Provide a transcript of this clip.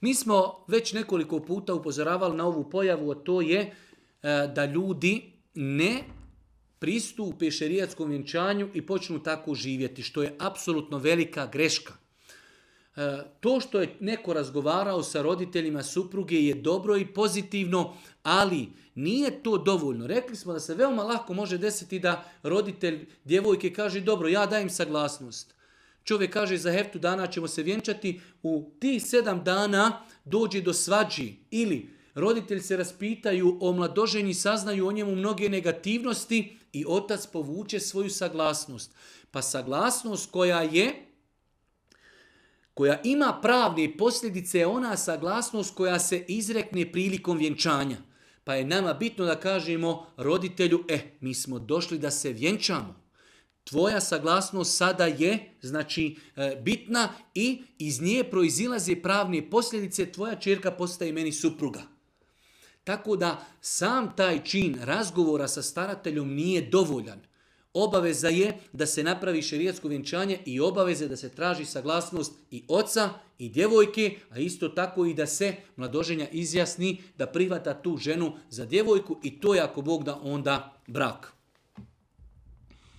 Mi smo već nekoliko puta upozoravali na ovu pojavu, a to je da ljudi ne pristupe šerijatskom vjenčanju i počnu tako živjeti, što je apsolutno velika greška. To što je neko razgovarao sa roditeljima supruge je dobro i pozitivno, ali nije to dovoljno. Rekli smo da se veoma lako može desiti da roditelj djevojke kaže dobro, ja dajem saglasnost. Čovjek kaže za heftu dana ćemo se vjenčati, u tih 7 dana dođe do svađi ili roditelji se raspitaju o mladoženji, saznaju o njemu mnoge negativnosti i otac povuče svoju saglasnost. Pa saglasnost koja ima pravne posljedice je ona saglasnost koja se izrekne prilikom vjenčanja. Pa je nama bitno da kažemo roditelju, mi smo došli da se vjenčamo. Tvoja saglasnost sada je bitna i iz nje proizilaze pravne posljedice, tvoja ćerka postaje meni supruga. Tako da sam taj čin razgovora sa starateljom nije dovoljan. Obaveza je da se napravi šerijatsko vjenčanje i obaveze da se traži saglasnost i oca i djevojke, a isto tako i da se mladoženja izjasni da prihvata tu ženu za djevojku i to je ako Bog da onda brak.